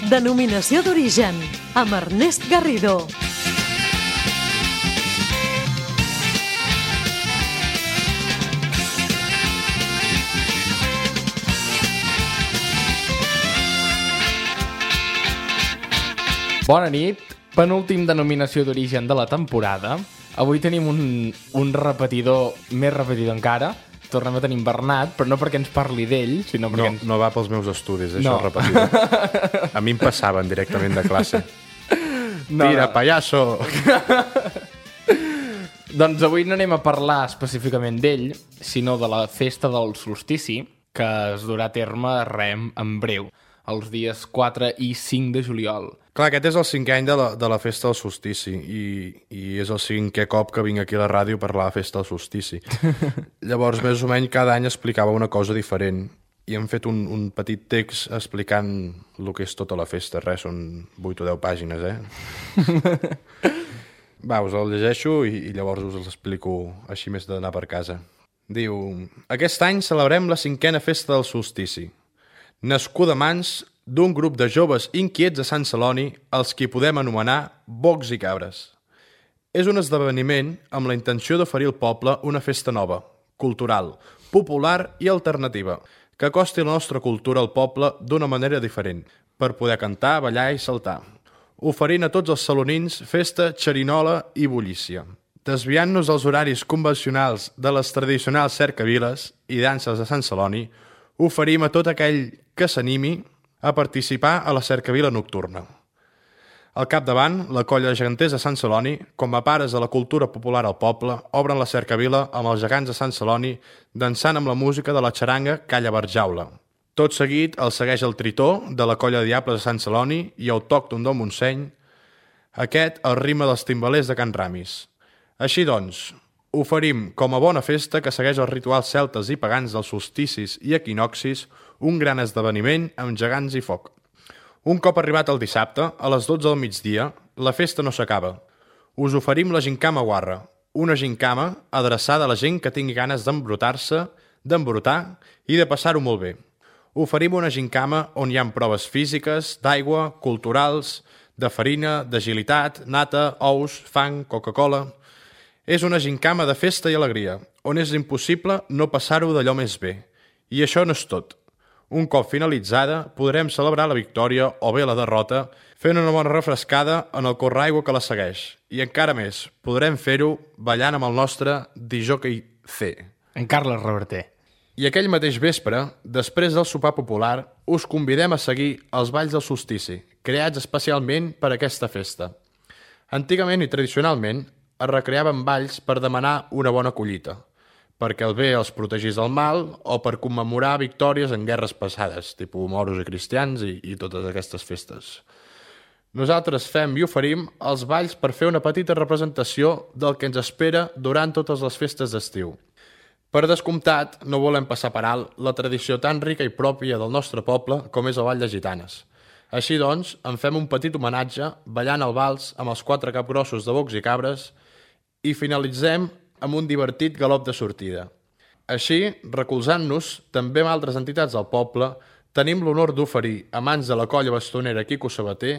Denominació d'origen, amb Ernest Garrido. Bona nit, penúltim denominació d'origen de la temporada. Avui tenim un repetidor, més repetidor encara. Tornem a tenir Bernat, però no perquè ens parli d'ell, sinó perquè... No va pels meus estudis, això repetidor. A mi em passaven directament de classe. Tira, pallasso! Doncs avui no anem a parlar específicament d'ell, sinó de la festa del solstici, que es durà a terme en breu, els dies 4 i 5 de juliol. Clar, aquest és el 5è any de la festa del solstici i és el 5è cop que vinc aquí a la ràdio a parlar de la festa del solstici. Llavors, més o menys, cada any explicava una cosa diferent i hem fet un petit text explicant el que és tota la festa. Res, són 8 o 10 pàgines, Va, us el llegeixo i llavors us l'explico així més d'anar per casa. Diu: aquest any celebrem la 5a festa del solstici, nascuda a mans d'un grup de joves inquiets a Sant Celoni, els qui podem anomenar bocs i cabres. És un esdeveniment amb la intenció d'oferir al poble una festa nova, cultural, popular i alternativa, que acosti la nostra cultura al poble d'una manera diferent, per poder cantar, ballar i saltar, oferint a tots els salonins festa, xerinola i bullícia. Desviant-nos dels horaris convencionals de les tradicionals cercaviles i danses de Sant Celoni, oferim a tot aquell que s'animi a participar a la cercavila nocturna. Al capdavant, la colla de geganters de Sant Celoni, com a pares de la cultura popular al poble, obren la cercavila amb els gegants de Sant Celoni dansant amb la música de la xaranga Calla Barjaula. Tot seguit el segueix el tritó de la colla de diables de Sant Celoni i autòcton del Montseny, aquest el ritme dels timbalers de Can Ramis. Així doncs, oferim com a bona festa que segueix els rituals celtes i pagans dels solsticis i equinoxis un gran esdeveniment amb gegants i foc. Un cop arribat el dissabte, a les 12 del migdia, la festa no s'acaba. Us oferim la gincama guarra, una gincama adreçada a la gent que tingui ganes d'embrutar-se, d'embrutar i de passar-ho molt bé. Oferim una gincama on hi ha proves físiques, d'aigua, culturals, de farina, d'agilitat, nata, ous, fang, Coca-Cola... És una gincama de festa i alegria, on és impossible no passar-ho d'allò més bé. I això no és tot. Un cop finalitzada, podrem celebrar la victòria o bé la derrota fent una bona refrescada en el correaigua que la segueix. I encara més, podrem fer-ho ballant amb el nostre disjockey C. En Carles Reverter. I aquell mateix vespre, després del sopar popular, us convidem a seguir els balls del solstici, creats especialment per a aquesta festa. Antigament i tradicionalment, es recreaven balls per demanar una bona collita, perquè el bé els protegís del mal o per commemorar victòries en guerres passades, tipus moros i cristians i totes aquestes festes. Nosaltres fem i oferim els balls per fer una petita representació del que ens espera durant totes les festes d'estiu. Per descomptat, no volem passar per alt la tradició tan rica i pròpia del nostre poble com és el ball de gitanes. Així doncs, en fem un petit homenatge ballant el vals amb els 4 capgrossos de bocs i cabres i finalitzem amb un divertit galop de sortida. Així, recolzant-nos també amb altres entitats del poble, tenim l'honor d'oferir a mans de la colla bastonera Quico Sabater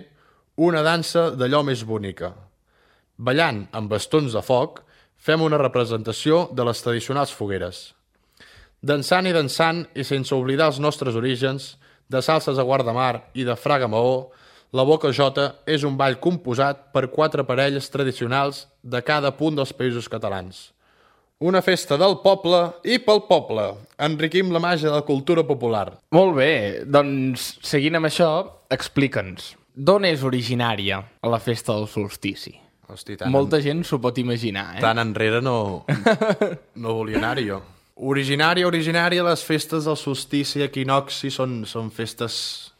una dansa d'allò més bonica. Ballant amb bastons de foc, fem una representació de les tradicionals fogueres. Dansant i sense oblidar els nostres orígens, de salses a Guardamar i de Fraga Maó, la Boca Jota és un ball composat per 4 parelles tradicionals de cada punt dels països catalans. Una festa del poble i pel poble. Enriquim la màgia de la cultura popular. Molt bé, doncs seguint amb això, explica'ns. D'on és originària la festa del solstici? Hosti, Molta gent s'ho pot imaginar, Tan enrere no volia anar jo. Originària, les festes del solstici i equinoxi són festes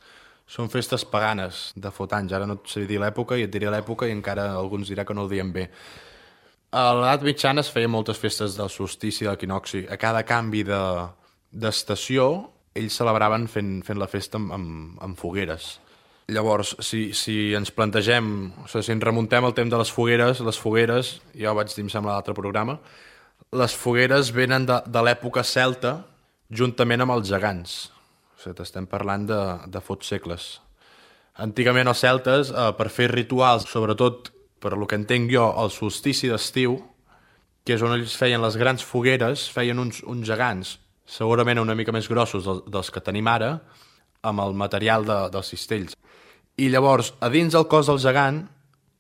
paganes de fot anys. Ara no et sé dir l'època i et diré l'època i encara alguns dirà que no ho diem bé. A l'edat mitjana es feien moltes festes del solstici i de l'equinoxi. A cada canvi d'estació ells celebraven fent la festa amb fogueres. Llavors, si ens plantegem, si ens remuntem al temps de les fogueres, ja ho vaig dir, em sembla, a l'altre programa, les fogueres venen de l'època celta juntament amb els gegants. O sigui, estem parlant de fots segles. Antigament els celtes, per fer rituals, sobretot per lo que entenc jo, el solstici d'estiu, que és on ells feien les grans fogueres, feien uns gegants, segurament una mica més grossos dels que tenim ara, amb el material dels cistells. I llavors, a dins del cos del gegant,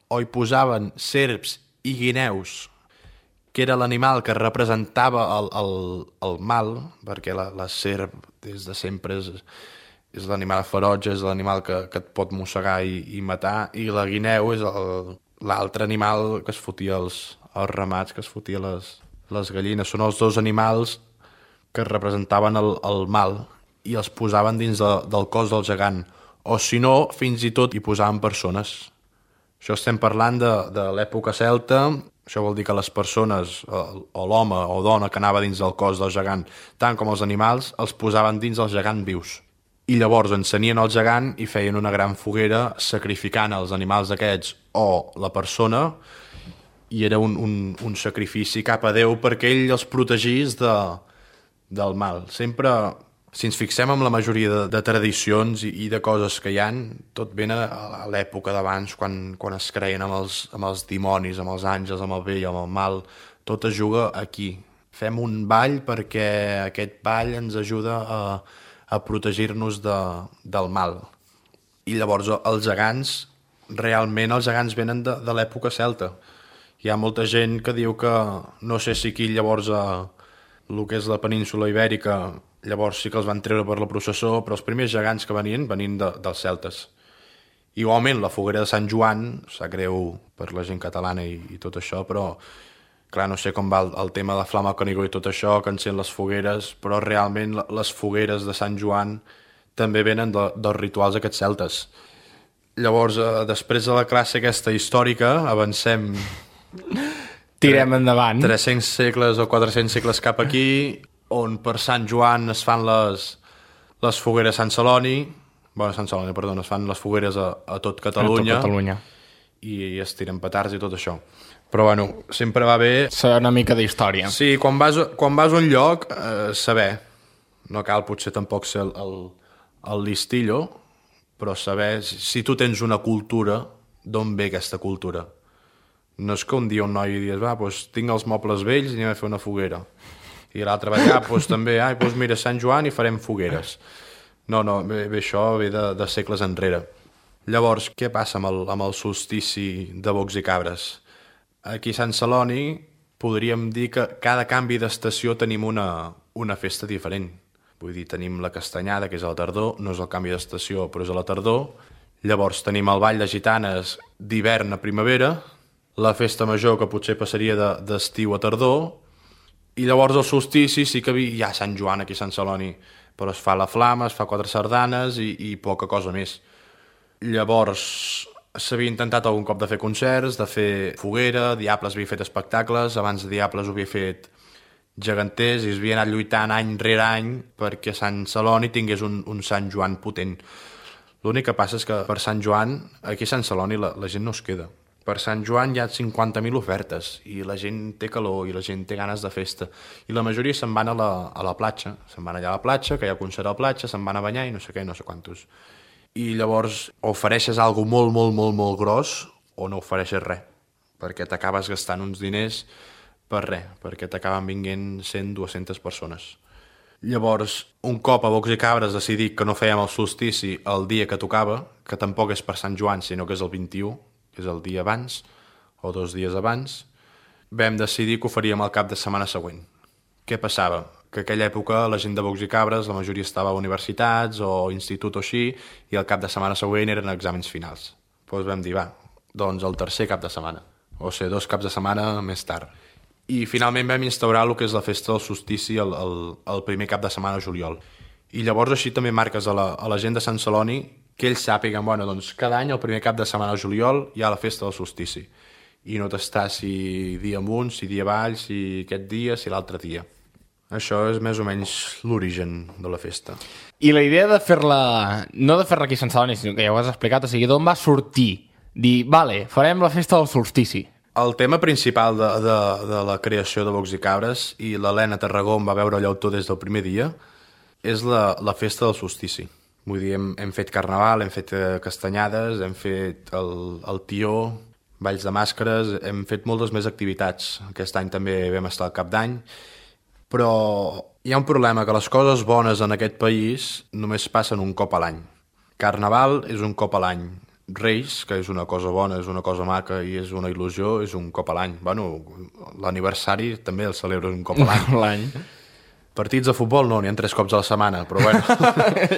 o hi posaven serps i guineus, que era l'animal que representava el mal, perquè la serp des de sempre és l'animal ferotge, és l'animal que et pot mossegar i matar, i la guineu és l'altre animal que es fotia els ramats, que es fotia les gallines. Són els dos animals que representaven el mal i els posaven dins del cos del gegant. O si no, fins i tot hi posaven persones. Això estem parlant de l'època celta. Això vol dir que les persones, o l'home o dona que anava dins del cos del gegant, tant com els animals, els posaven dins del gegant vius. I llavors encenien el gegant i feien una gran foguera sacrificant els animals aquests o la persona, i era un sacrifici cap a Déu perquè ell els protegís del mal. Sempre, si ens fixem en la majoria de tradicions i de coses que hi ha, tot ven a l'època d'abans, quan es creien amb els dimonis, amb els àngels, amb el bé i amb el mal. Tot es juga aquí. Fem un ball perquè aquest ball ens ajuda a protegir-nos del mal. I llavors els gegants, realment els gegants venen de l'època celta. Hi ha molta gent que diu que, no sé si aquí llavors el que és la península ibèrica, llavors sí que els van treure per la processó, però els primers gegants que venien dels celtes. Igualment, la foguera de Sant Joan, sap greu per la gent catalana i tot això, però clar, no sé com va el tema de Flama Canigó i tot això, que encén les fogueres, però realment les fogueres de Sant Joan també venen dels rituals aquests celtes. Llavors, després de la classe aquesta històrica, avancem... Tirem endavant. 300 segles o 400 segles cap aquí, on per Sant Joan es fan les fogueres a Sant Celoni, es fan les fogueres a tot Catalunya, i es tiren petards i tot això. Però bueno, sempre va bé... Saber una mica d'història. Sí, quan vas a un lloc, saber. No cal potser tampoc ser el listillo, però saber si tu tens una cultura, d'on ve aquesta cultura. No és que un dia un noi dius, tinc els mobles vells i anem a fer una foguera. I l'altre va allà, també, mira, Sant Joan i farem fogueres. No, bé, això ve de segles enrere. Llavors, què passa amb el solstici de bocs i cabres? Aquí a Sant Celoni podríem dir que cada canvi d'estació tenim una festa diferent. Vull dir, tenim la castanyada, que és a la tardor, no és el canvi d'estació, però és a la tardor. Llavors tenim el ball de gitanes d'hivern a primavera, la festa major, que potser passaria d'estiu a tardor, i llavors el solstici sí que hi ha Sant Joan aquí a Sant Celoni, però es fa la flama, es fa 4 sardanes i poca cosa més. Llavors s'havia intentat algun cop de fer concerts, de fer foguera, Diables havia fet espectacles, abans de Diables ho havia fet Geganters, i es havia anat lluitant any rere any perquè Sant Celoni tingués un Sant Joan potent. L'únic que passa és que per Sant Joan, aquí a Sant Celoni, la gent no es queda. Per Sant Joan hi ha 50.000 ofertes i la gent té calor i la gent té ganes de festa. I la majoria se'n van a la platja. Se'n van allà a la platja, que hi ha concert a la platja, se'n van a banyar i no sé què, no sé quantos. I llavors ofereixes alguna molt, molt, molt, molt gros o no ofereixes res, perquè t'acabes gastant uns diners per res, perquè t'acaben vinguent 100-200 persones. Llavors, un cop a Bocs i Cabres decidit que no fèiem el solstici el dia que tocava, que tampoc és per Sant Joan, sinó que és el 21, que és el dia abans, o 2 dies abans, vam decidir que ho faríem el cap de setmana següent. Què passava? Que aquella època la gent de Bocs i Cabres, la majoria estava a universitats o institut o així, i el cap de setmana següent eren exàmens finals. Doncs vam dir, doncs el tercer cap de setmana, o sigui, 2 caps de setmana més tard. I finalment vam instaurar el que és la festa del solstici el primer cap de setmana de juliol. I llavors així també marques a la gent de Sant Celoni que ells sàpiguen, doncs cada any el primer cap de setmana de juliol hi ha la festa del solstici. I no t'està si dia amunt, si dia avall, si aquest dia, si l'altre dia. Això és més o menys l'origen de la festa. I la idea de fer-la, no de fer-la aquí a Sant Celoni, sinó que ja ho has explicat, o sigui, d'on va sortir? Dir, farem la festa del solstici. El tema principal de la creació de Bocs i Cabres, i l'Helena Tarragó em va veure l'autor des del primer dia, és la festa del solstici. Vull dir, hem fet carnaval, hem fet castanyades, hem fet el tió, balls de màscares, hem fet moltes més activitats. Aquest any també vam estar al Cap d'Any, però hi ha un problema, que les coses bones en aquest país només passen un cop a l'any. Carnaval és un cop a l'any. Reis, que és una cosa bona, és una cosa maca i és una il·lusió, és un cop a l'any. Bueno, l'aniversari també el celebres un cop a l'any. Partits de futbol no, n'hi ha 3 cops a la setmana, però bueno.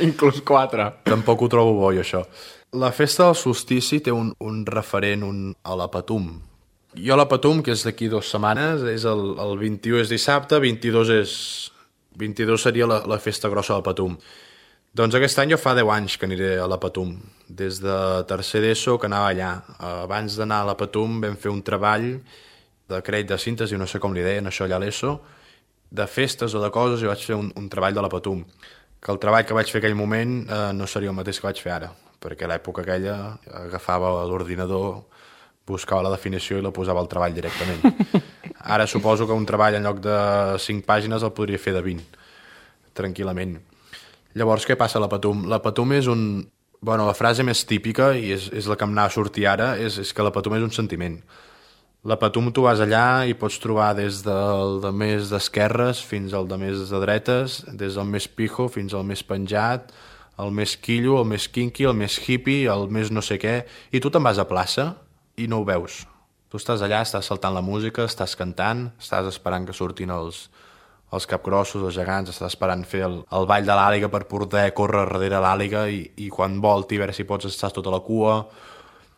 Inclús 4. Tampoc ho trobo bo, jo, això. La festa del solstici té un referent a la Patum. Jo la Patum, que és d'aquí 2 setmanes, és el 21 és dissabte, 22 seria la festa grossa de la Patum. Doncs aquest any jo fa 10 anys que aniré a la Patum, des de tercer d'ESO que anava allà. Abans d'anar a la Patum vam fer un treball de crèdit de síntesi, no sé com li deien això allà a l'ESO, de festes o de coses, i vaig fer un treball de la Patum. Que el treball que vaig fer aquell moment no seria el mateix que vaig fer ara, perquè a l'època aquella agafava l'ordinador, buscava la definició i la posava al treball directament. Ara suposo que un treball en lloc de 5 pàgines el podria fer de 20, tranquil·lament. Llavors, què passa a la Patum? La Patum és Bueno, la frase més típica, i és la que em anava a sortir ara, és que la Patum és un sentiment. La Patum tu vas allà i pots trobar des del de més d'esquerres fins al de més de dretes, des del més pijo fins al més penjat, el més quillo, el més kinky, el més hippie, el més no sé què, i tu te'n vas a plaça i no ho veus. Tu estàs allà, estàs saltant la música, estàs cantant, estàs esperant que surtin els capgrossos, els gegants, estàs esperant fer el ball de l'àliga per poder córrer darrere l'àliga i quan volti, a veure si pots estar tota la cua.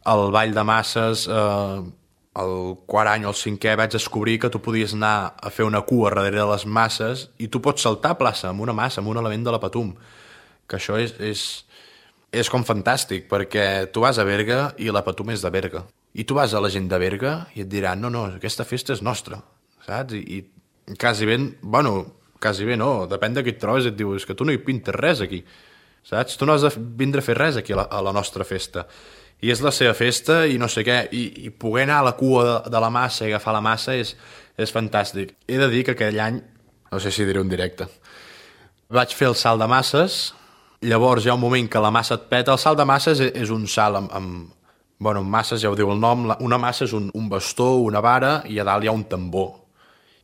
El ball de masses, el quart any o el cinquè vaig descobrir que tu podies anar a fer una cua darrere de les masses i tu pots saltar a plaça amb una massa, amb un element de la Patum. Que això és com fantàstic, perquè tu vas a Berga i la Patum és de Berga. I tu vas a la gent de Berga i et diran, no, aquesta festa és nostra, saps? I quasi bé no, depèn de qui et trobes, et diu, és que tu no hi pintes res aquí, saps? Tu no has de vindre a fer res aquí a la nostra festa. I és la seva festa i no sé què, i poder anar a la cua de la massa i agafar la massa és fantàstic. He de dir que aquell any, no sé si diré un directe, vaig fer el salt de masses, llavors hi ha un moment que la massa et peta. El salt de masses és un salt amb masses, ja ho diu el nom, una massa és un bastó, una vara, i a dalt hi ha un tambor.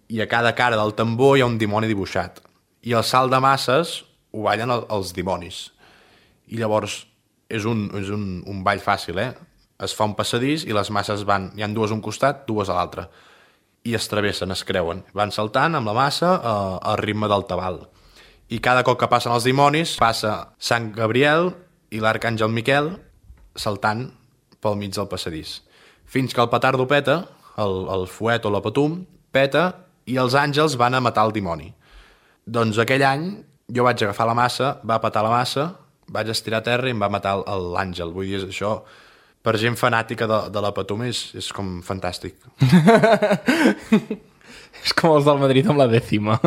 I a cada cara del tambor hi ha un dimoni dibuixat. I el salt de masses ho ballen els dimonis. I llavors és un ball fàcil, Es fa un passadís i les masses hi ha 2 a un costat, 2 a l'altre. I es travessen, es creuen. Van saltant amb la massa al ritme del tabal. I cada cop que passen els dimonis, passa Sant Gabriel i l'arcàngel Miquel saltant pel mig del passadís. Fins que el petardo peta, el fuet o la Patum, peta i els àngels van a matar el dimoni. Doncs aquell any jo vaig agafar la massa, va petar la massa, vaig estirar a terra i em va matar l'àngel. Vull dir, això, per gent fanàtica de la Patum, és com fantàstic. És com els del Madrid amb la 10ª.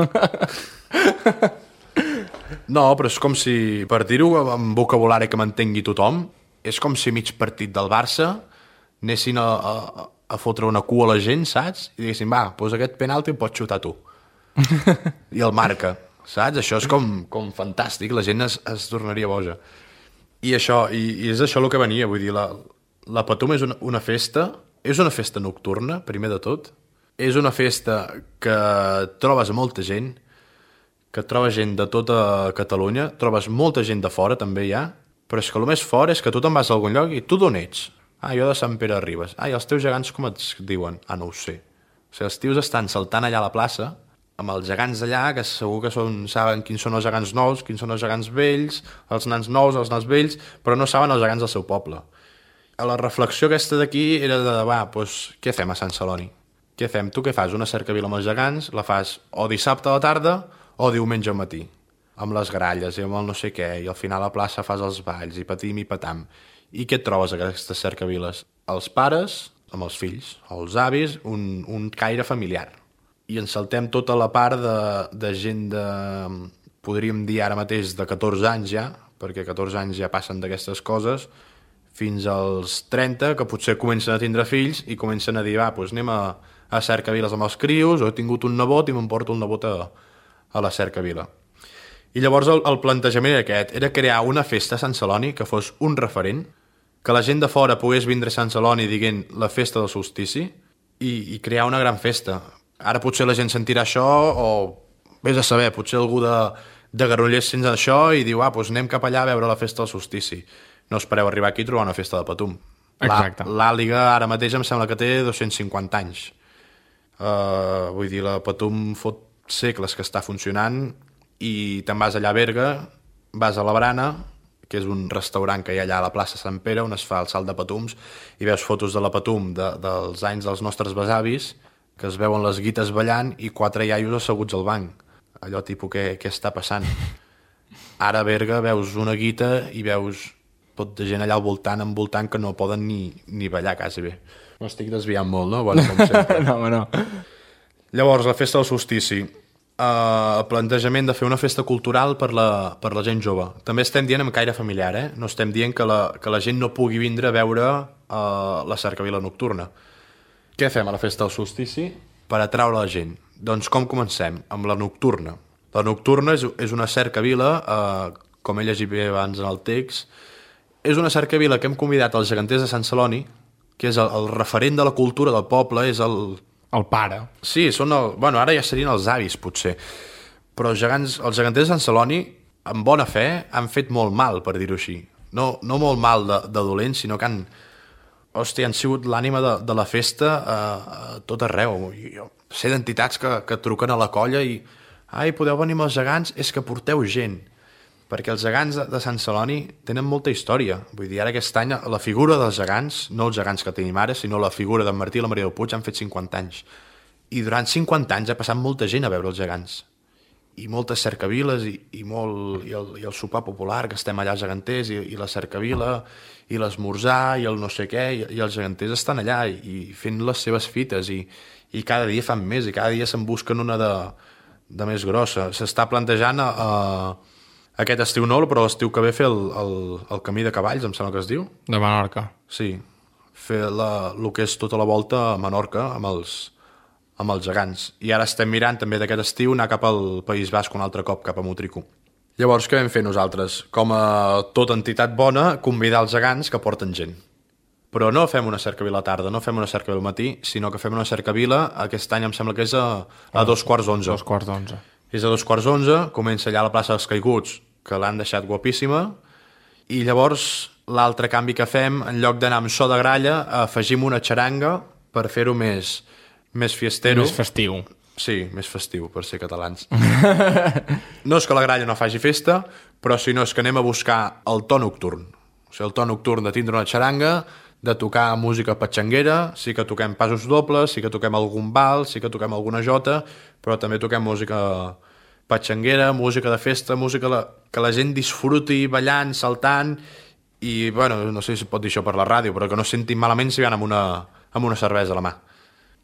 No, però és com si, per dir-ho amb vocabulari que m'entengui tothom, és com si mig partit del Barça anessin a fotre una cua a la gent, saps? I diguessin, va, doncs aquest penalti el pots xutar tu. I el marca. Saps? Això és com fantàstic, la gent es tornaria boja. I és això el que venia, vull dir, la Patum és una festa nocturna, primer de tot. És una festa que trobes molta gent, que trobes gent de tota Catalunya, trobes molta gent de fora, també hi ha, però és que el més fort és que tu te'n vas a algun lloc i tu d'on ets? Jo de Sant Pere de Ribes. I els teus gegants com et diuen? No ho sé. O sigui, els tios estan saltant allà a la plaça, amb els gegants d'allà, que segur que saben quins són els gegants nous, quins són els gegants vells, els nans nous, els nans vells, però no saben els gegants del seu poble. La reflexió aquesta d'aquí era doncs, què fem a Sant Celoni? Què fem? Tu què fas? Una cercavila amb els gegants, la fas o dissabte a la tarda o diumenge al matí, amb les gralles i amb el no sé què, i al final a la plaça fas els balls, i patim i patam. I què et trobes a aquestes cercaviles? Els pares amb els fills, els avis, un caire familiar. I ens saltem tota la part de gent podríem dir ara mateix de 14 anys ja, perquè 14 anys ja passen d'aquestes coses, fins als 30, que potser comencen a tindre fills i comencen a dir, doncs anem a cercaviles amb els crios, o he tingut un nebot i m'emporto el nebot a la cercavila. I llavors el plantejament era aquest, era crear una festa a Sant Celoni que fos un referent, que la gent de fora pogués vindre a Sant Celoni dient la festa del solstici i crear una gran festa. Ara potser la gent sentirà això o vés a saber, potser algú de Granollers sents això i diu, doncs anem cap allà a veure la festa del solstici. No espereu arribar aquí i trobar una festa de Patum. Exacte. L'Àliga ara mateix em sembla que té 250 anys. Vull dir, la Patum fot segles que està funcionant i te'n vas allà a Berga, vas a la Brana, que és un restaurant que hi ha allà a la plaça Sant Pere on es fa el salt de Patums i veus fotos de la Patum dels anys dels nostres besavis que es veuen les guites ballant i 4 iaios asseguts al banc. Allò tipus, què està passant? Ara a Berga veus una guita i veus tot de gent allà al voltant, envoltant, que no poden ni ballar quasi bé. M'estic desviant molt, no? Bueno, com sempre. No. Llavors, la festa del solstici. El plantejament de fer una festa cultural per la gent jove. També estem dient amb caire familiar, no estem dient que la gent no pugui vindre a veure la cercavila nocturna. Què fem a la festa del solstici per atraure la gent? Doncs com comencem? Amb la nocturna. La nocturna és una cercavila, com he llegit bé abans en el text, és una cercavila que hem convidat als geganters de Sant Celoni, que és el referent de la cultura del poble, és el pare. Sí, ara ja serien els avis, potser. Però els geganters de Sant Celoni, amb bona fe, han fet molt mal, per dir-ho així. No molt mal de dolents, sinó que han sigut l'ànima de la festa a tot arreu. Jo sé d'entitats que truquen a la colla i podeu venir amb els gegants? És que porteu gent. Perquè els gegants de Sant Celoni tenen molta història. Vull dir, ara aquest any la figura dels gegants, no els gegants que tenim ara, sinó la figura d'en Martí i la Maria del Puig han fet 50 anys. I durant 50 anys ha passat molta gent a veure els gegants. I moltes cercaviles i el sopar popular, que estem allà als geganters, i la cercavila, i l'esmorzar, i el no sé què, i els geganters estan allà i fent les seves fites, i cada dia fan més, i cada dia se'n busquen una de més grossa. S'està plantejant aquest estiu no, però l'estiu que ve fer el camí de cavalls, em sembla que es diu. De Menorca. Sí, fer el que és tota la volta a Menorca amb els gegants. I ara estem mirant també d'aquest estiu anar cap al País Basc un altre cop, cap a Motrico. Llavors, què vam fer nosaltres? Com a tota entitat bona, convidar els gegants que porten gent. Però no fem una cercavila a la tarda, no fem una cercavila al matí, sinó que fem una cercavila, aquest any em sembla que és a 2:15. 2:15. És a 2:15, comença allà a la plaça dels Caiguts, que l'han deixat guapíssima, i llavors l'altre canvi que fem, en lloc d'anar amb so de gralla, afegim una xaranga per fer-ho més fiestero. Més festiu. Sí, més festiu, per ser catalans. No és que la gralla no faci festa, però sinó és que anem a buscar el to nocturn. O sigui, el to nocturn de tindre una xaranga, de tocar música patxanguera, sí que toquem passos dobles, sí que toquem algun bal, sí que toquem alguna jota, però també toquem música patxanguera, música de festa, música que la gent disfruti ballant, saltant, i, bueno, no sé si pot dir això per la ràdio, però que no sentin malament si van amb una cervesa a la mà.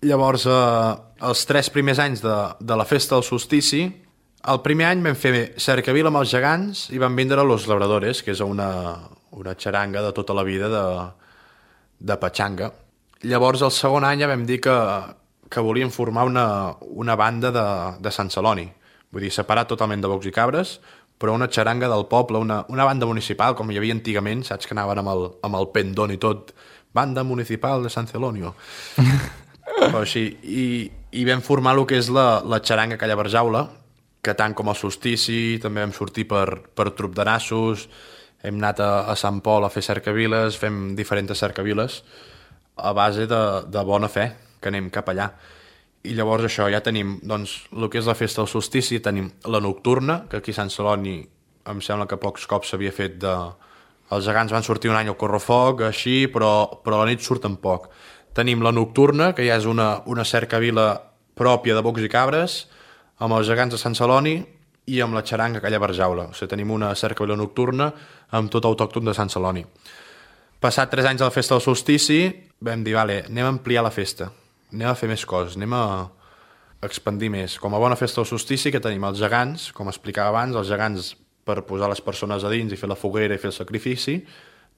Llavors, els 3 primers anys de la festa del solstici, el primer any vam fer cercavila amb els gegants i van vindre Los Labradores, que és una xaranga de tota la vida de patxanga. Llavors, el segon any ja vam dir que volíem formar una banda de Sant Celoni. Vull dir, separat totalment de bocs i cabres, però una xaranga del poble, una banda municipal, com hi havia antigament, saps que anaven amb el pendón i tot, banda municipal de Sant Celonio. Però així, i vam formar el que és la xaranga Calla Barjaula, que tant com el solstici, també vam sortir per trup de nassos, hem anat a Sant Pol a fer cercaviles, fem diferents cercaviles, a base de bona fe, que anem cap allà. I llavors això, ja tenim, doncs, el que és la festa del solstici, tenim la nocturna, que aquí a Sant Celoni em sembla que pocs cops s'havia fet Els gegants van sortir un any al correfoc, així, però a la nit surten poc. Tenim la nocturna, que ja és una cercavila pròpia de bocs i cabres, amb els gegants de Sant Celoni i amb la xaranga Calla Barjaula. O sigui, tenim una cercavila nocturna amb tot autòcton de Sant Celoni. Passat 3 anys de la festa del solstici, vam dir, vale, anem a ampliar la festa, anem a fer més coses, anem a expandir més. Com a bona festa del solstici, que tenim els gegants, com explicava abans, els gegants per posar les persones a dins i fer la foguera i fer el sacrifici,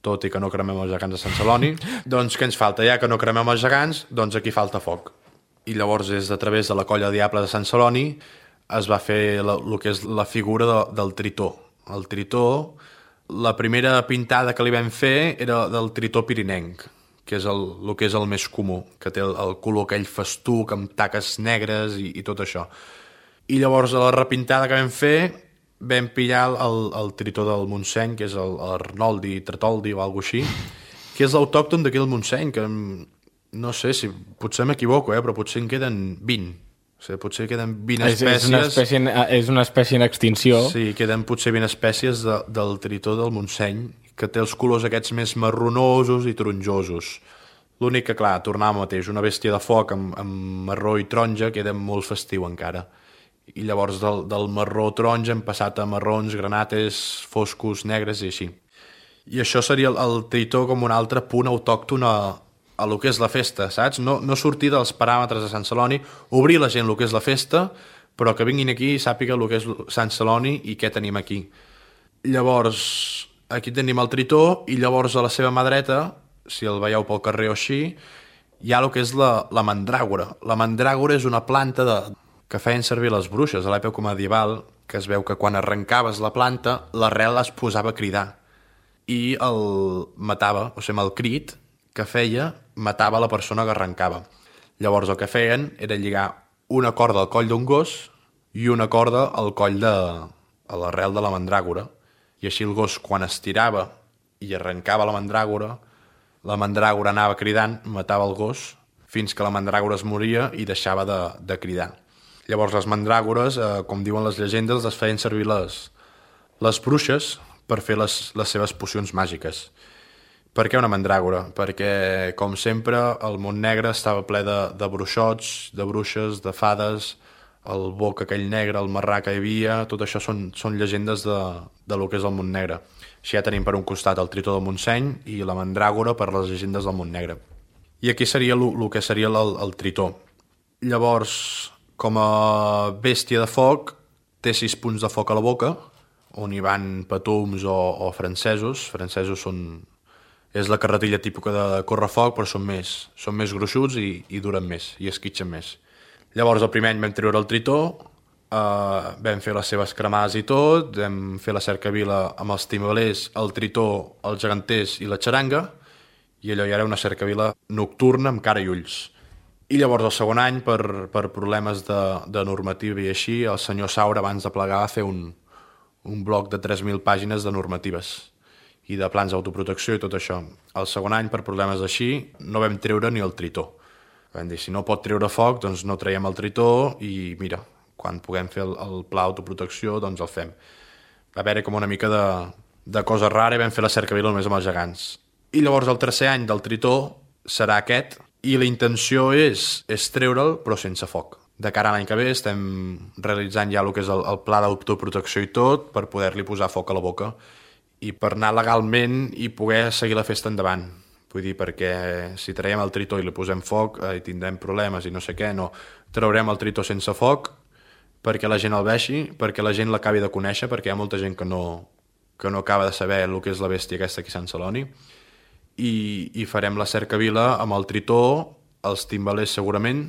tot i que no cremem els gegants de Sant Celoni. Doncs què ens falta? Ja que no cremem els gegants, doncs aquí falta foc. I llavors és a través de la colla de Diables de Sant Celoni es va fer el que és la figura del tritó. El tritó, la primera pintada que li vam fer era del tritó pirinenc, que és el que és el més comú, que té el color aquell festuc amb taques negres i tot això. I llavors a la repintada que vam fer vam pillar el tritó del Montseny, que és l'Arnoldi Tretoldi o alguna cosa així, que és l'autòcton d'aquí del Montseny, que no sé si potser m'equivoco, però potser en queden 20. O sigui, potser queden 20 espècies... És una espècie en extinció. Sí, queden potser 20 espècies del tritó del Montseny, que té els colors aquests més marronosos i taronjosos. L'únic que, clar, tornar al mateix, una bèstia de foc amb marró i taronja queda molt festiu encara. I llavors del marró taronja hem passat a marrons, granates, foscos, negres i així. I això seria el tritó com un altre punt autòcton a lo que és la festa, saps? No sortir dels paràmetres de Sant Celoni, obrir la gent el que és la festa, però que vinguin aquí i sàpiga el que és Sant Celoni i què tenim aquí. Llavors, aquí tenim el tritó i llavors a la seva mà dreta, si el veieu pel carrer o així, hi ha el que és la mandràgora. La mandràgora és una planta que feien servir les bruixes a l'època medieval, que es veu que quan arrencaves la planta, l'arrel es posava a cridar i el matava, o sigui, amb el crit que feia, matava la persona que arrencava. Llavors el que feien era lligar una corda al coll d'un gos i una corda al coll a l'arrel de la mandràgora. I així el gos, quan estirava i arrencava la mandràgora anava cridant, matava el gos, fins que la mandràgora es moria i deixava de cridar. Llavors les mandràgores, com diuen les llegendes, les feien servir les bruixes per fer les seves pocions màgiques. Per què una mandràgora? Perquè, com sempre, el món negre estava ple de bruixots, de bruixes, de fades, el boc aquell negre, el marrà que hi havia, tot això són llegendes de lo que és el món negre. Així ja tenim per un costat el tritó del Montseny i la mandràgora per les llegendes del món negre. I aquí seria el que seria el tritó. Llavors, com a bèstia de foc, té 6 punts de foc a la boca, on hi van patums o francesos. Francesos és la carretilla típica de correfoc, però són més gruixuts i duren més, i esquitxen més. Llavors, el primer any vam treure el tritó, vam fer les seves cremades i tot, vam fer la cercavila amb els timbalers, el tritó, els geganters i la xaranga, i allò ja era una cercavila nocturna amb cara i ulls. I llavors, el segon any, per problemes de normativa i així, el senyor Saura, abans de plegar, va fer un bloc de 3.000 pàgines de normatives i de plans d'autoprotecció i tot això. El segon any, per problemes així, no vam treure ni el tritó. Vam dir, si no pot treure foc, doncs no traiem el tritó i mira, quan puguem fer el pla d'autoprotecció, doncs el fem. Va haver-hi com una mica de cosa rara i vam fer la cercavila només amb els gegants. I llavors el tercer any del tritó serà aquest i la intenció és treure'l però sense foc. De cara a l'any que ve estem realitzant ja el que és el pla d'autoprotecció i tot per poder-li posar foc a la boca i per anar legalment i poder seguir la festa endavant. Vull dir, perquè si traiem el tritó i li posem foc i tindrem problemes i no sé què, no. Traurem el tritó sense foc perquè la gent el vegi, perquè la gent l'acabi de conèixer, perquè hi ha molta gent que no acaba de saber el que és la bèstia aquesta aquí a Sant Celoni, i farem la cercavila amb el tritó, els timbalers segurament,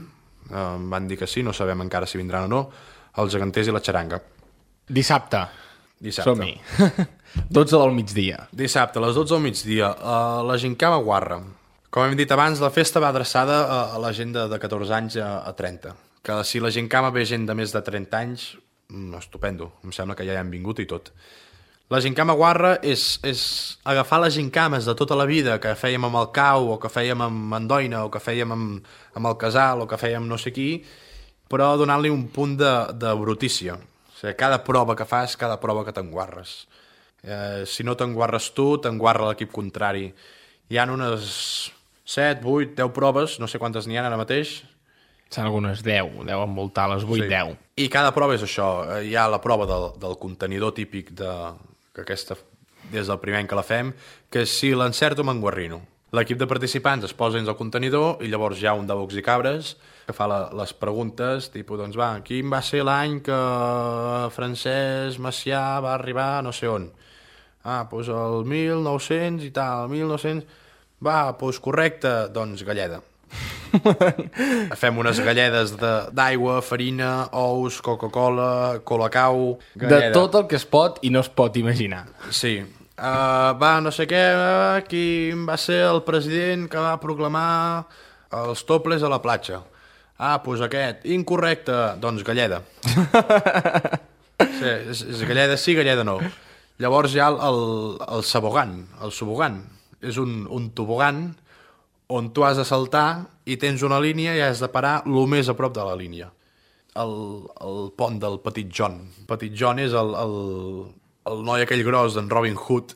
em van dir que sí, no sabem encara si vindran o no, els geganters i la xaranga. Dissabte. Som-hi. 12 del migdia. Dissabte, a les 12 del migdia, a la Gincama Guarra. Com hem dit abans, la festa va adreçada a la gent de 14 anys a 30. Que si la Gincama ve gent de més de 30 anys, estupendo, em sembla que ja hi han vingut i tot. La Gincama Guarra és agafar les gincames de tota la vida que fèiem amb el cau, o que fèiem amb Andoina, o que fèiem amb el casal, o que fèiem no sé qui, però donant-li un punt de brutícia. O sigui, cada prova que fas, cada prova que t'enguarres. Si no t'enguarres tu, t'enguarra l'equip contrari. Hi ha unes 7, 8, 10 proves, no sé quantes n'hi ha ara mateix. Són algunes 10, deuen voltar les 8, sí. 10. I cada prova és això. Hi ha la prova del contenidor típic que aquesta, des del primer any que la fem, que si l'encerto m'enguarrino. L'equip de participants es posa dins el contenidor i llavors hi ha un de bocs i cabres que fa les preguntes, tipus, doncs va, quin va ser l'any que Francesc Macià va arribar no sé on? Doncs el 1900 i tal, 1900... Va, doncs correcte, doncs Galleda. Fem unes galledes d'aigua, farina, ous, Coca-Cola, Colacau... De tot el que es pot i no es pot imaginar. Sí. No sé què, qui va ser el president que va proclamar els toples a la platja? Doncs aquest. Incorrecte. Doncs galleda. Sí, és galleda sí, galleda no. Llavors hi ha el sabogan, el subogan. És un tobogan on tu has de saltar i tens una línia i has de parar el més a prop de la línia. El pont del Petit John. Petit John és el noi aquell gros d'en Robin Hood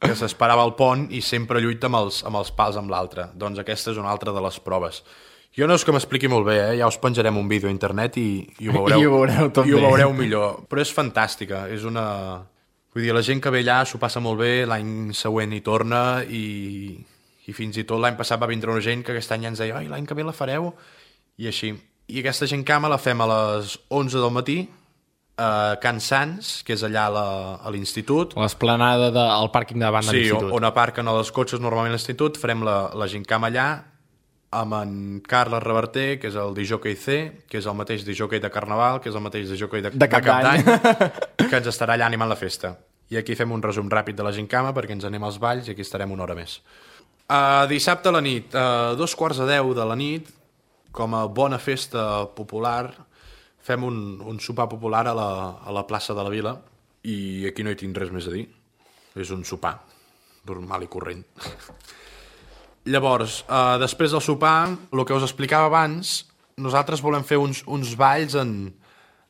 que s'esperava al pont i sempre lluita amb els pals amb l'altre. Doncs aquesta és una altra de les proves. Jo no és que m'expliqui molt bé, ja us penjarem un vídeo a internet i ho veureu. I ho veureu tot I ho bé. veureu millor. Però és fantàstica, és una... Vull dir, la gent que ve allà s'ho passa molt bé, l'any següent hi torna i fins i tot l'any passat va vindre una gent que aquest any ja ens deia l'any que ve la fareu, i així. I aquesta gincama la fem a les 11 del matí a Can Sants, que és allà a l'institut. L'esplanada del pàrquing davant de l'institut. Sí, on aparquen els cotxes normalment a l'institut, farem la gincama allà amb en Carles Reverter, que és el disjockey C, que és el mateix disjockey de Carnaval, que és el mateix disjockey de Cap d'Any, que ens estarà allà animant la festa. I aquí fem un resum ràpid de la gincama perquè ens anem als balls i aquí estarem una hora més. Dissabte a la nit, 2:45 de la nit, com a bona festa popular, fem un sopar popular a la plaça de la Vila i aquí no hi tinc res més a dir. És un sopar normal i corrent. Llavors, després del sopar, el que us explicava abans, nosaltres volem fer uns balls en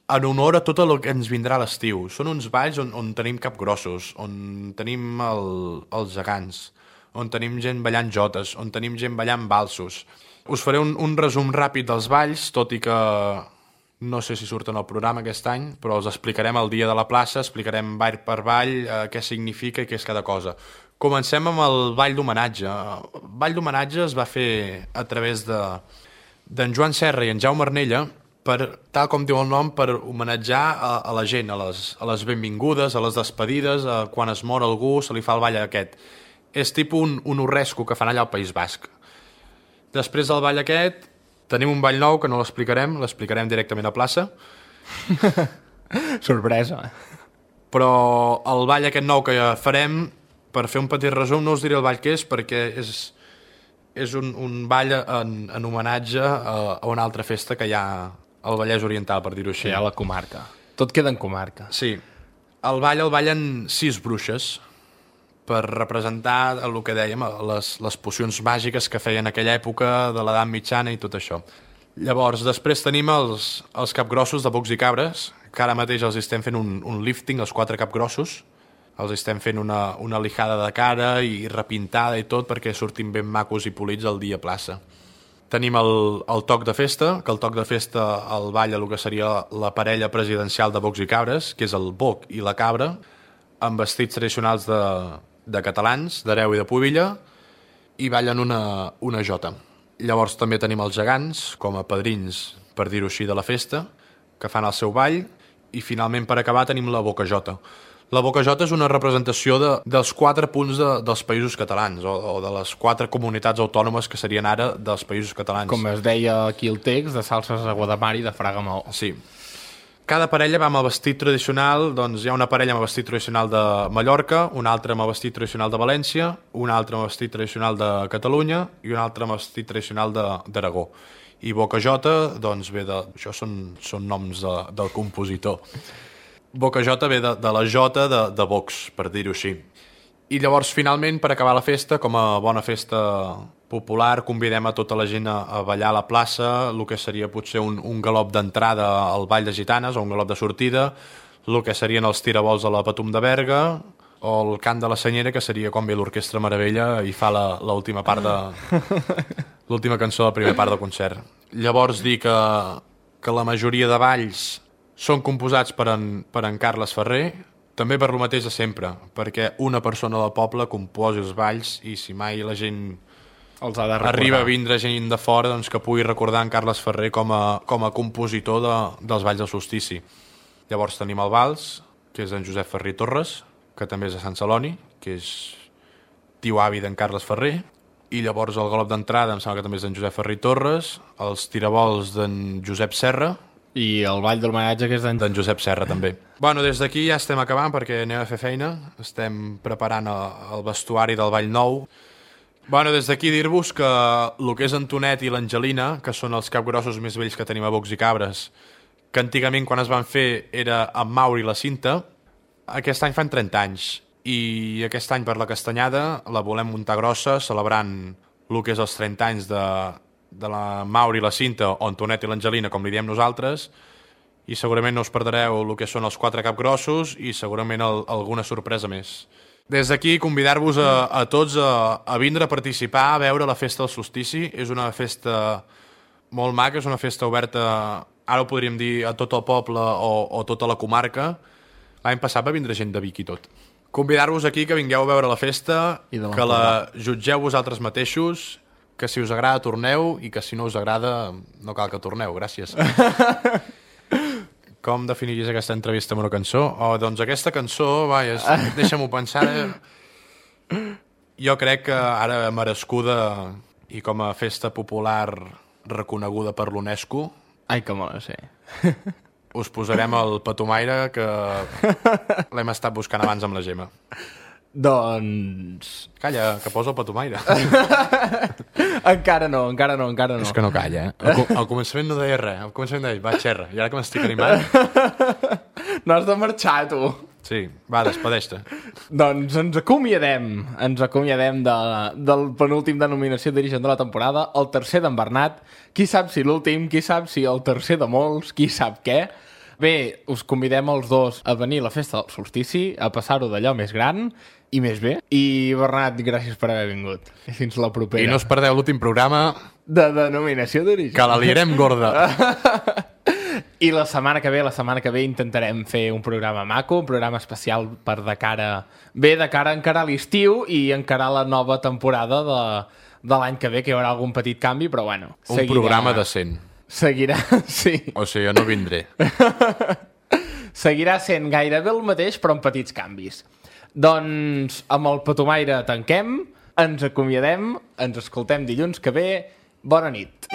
honor a tot el que ens vindrà a l'estiu. Són uns balls on tenim capgrossos, on tenim els gegants, on tenim gent ballant jotes, on tenim gent ballant valsos. Us faré un resum ràpid dels balls, tot i que no sé si surten al programa aquest any, però els explicarem el dia de la plaça, explicarem ball per ball, què significa i què és cada cosa. Comencem amb el ball d'homenatge. El ball d'homenatge es va fer a través d'en Joan Serra i en Jaume Arnella, tal com diu el nom, per homenatjar a la gent, a les benvingudes, a les despedides, quan es mor algú se li fa el ball aquest. És tipus un urresco que fan allà al País Basc. Després del ball aquest, tenim un ball nou que no l'explicarem directament a plaça. Sorpresa. Però el ball aquest nou que farem, per fer un petit resum, no us diré el ball que és, perquè és un ball en homenatge a una altra festa que hi ha al Vallès Oriental, per dir-ho així. Sí, a la comarca. Tot queda en comarca. Sí. El ballen 6 bruixes per representar el que dèiem, les pocions màgiques que feien en aquella època de l'edat mitjana i tot això. Llavors, després tenim els capgrossos de bocs i cabres, que ara mateix els estem fent un lifting, els 4 capgrossos. Els estem fent una lijada de cara i repintada i tot perquè surtin ben macos i polits el dia a plaça. Tenim el toc de festa, que el toc de festa el balla el que seria la parella presidencial de bocs i cabres, que és el boc i la cabra, amb vestits tradicionals de catalans, d'Hereu i de Pubilla, i ballen una jota. Llavors també tenim els gegants, com a padrins, per dir-ho així, de la festa, que fan el seu ball, i finalment per acabar tenim la bocajota. La bocajota és una representació dels 4 punts dels països catalans, o de les 4 comunitats autònomes que serien ara dels països catalans. Com es deia aquí el text, de Salses a Guadamar i de Fraga Maó. Sí. Cada parella va amb el vestit tradicional, doncs hi ha una parella amb el vestit tradicional de Mallorca, una altra amb el vestit tradicional de València, una altra amb el vestit tradicional de Catalunya i una altra amb el vestit tradicional d'Aragó. I bocajota, doncs ve això són noms del compositor. Bocajota ve de la jota de bocs, per dir-ho així. I llavors, finalment, per acabar la festa, com a bona festa popular, convidem a tota la gent a ballar a la plaça, el que seria potser un galop d'entrada al Ball de Gitanes o un galop de sortida, el que serien els tirabols a la Patum de Berga o el cant de la Senyera, que seria quan ve l'Orquestra Meravella i fa l'última part l'última cançó de la primera part del concert. Llavors dir que la majoria de balls són composats per en Carles Ferrer, també per lo mateix de sempre, perquè una persona del poble composi els balls i si mai la gent arriba a vindre gent de fora, doncs que pugui recordar en Carles Ferrer com a compositor dels balls del solstici. Llavors tenim el vals, que és d'en Josep Ferrer Torres, que també és de Sant Celoni, que és tio avi d'en Carles Ferrer. i llavors el golop d'entrada em sembla que també és d'en Josep Ferrer i Torres, els tirabols d'en Josep Serra, I el ball de l'homenatge que és d'en Josep Serra també. Bueno, des d'aquí ja estem acabant perquè anem a fer feina, estem preparant el vestuari del Ball Nou. Bueno, des d'aquí dir-vos que el que és Antonet i l'Angelina, que són els capgrossos més vells que tenim a Bocs i Cabres, que antigament quan es van fer era en Mauri i la Cinta, aquest any fan 30 anys. I aquest any per la Castanyada la volem muntar grossa, celebrant el que és els 30 anys de la Mauri i la Cinta, o Antonet i l'Angelina, com li diem nosaltres, i segurament no us perdreu el que són els 4 capgrossos i segurament alguna sorpresa més. Des d'aquí convidar-vos a tots a vindre a participar, a veure la festa del solstici. És una festa molt maca, és una festa oberta, ara ho podríem dir, a tot el poble o tota la comarca. L'any passat va vindre gent de Vic i tot. Convidar-vos aquí que vingueu a veure la festa, que la jutgeu vosaltres mateixos, que si us agrada torneu i que si no us agrada no cal que torneu. Gràcies. Com definiries aquesta entrevista amb una cançó? Doncs aquesta cançó, deixa'm-ho pensar. Jo crec que ara merescuda i com a festa popular reconeguda per l'UNESCO. Ai, que mola, sí. Us posarem el Patumaire, que l'hem estat buscant abans amb la Gemma. Doncs... Calla, que posa el Patumaire. Encara no. És que no calla, eh? Al començament no deia res. Al començament deia, va, xerra. I ara que m'estic animant... No has de marxar, tu. Sí, va, despedeix-te. Doncs ens acomiadem del penúltim denominació d'origen de la temporada, el tercer d'en Bernat. Qui sap si l'últim, qui sap si el tercer de molts, qui sap què. Bé, us convidem els dos a venir a la festa del solstici, a passar-ho d'allò més gran i més bé. I Bernat, gràcies per haver vingut. I fins la propera. I no us perdeu l'últim programa de denominació d'origen. Que la liarem gorda. I la setmana que ve intentarem fer un programa maco, un programa especial per de cara a encarar l'estiu i encarar la nova temporada de l'any que ve, que hi haurà algun petit canvi, però bueno. Un programa decent. Seguirà, sí. O sigui, jo no vindré. Seguirà sent gairebé el mateix, però amb petits canvis. Doncs amb el Patumaire tanquem, ens acomiadem, ens escoltem dilluns que ve. Bona nit.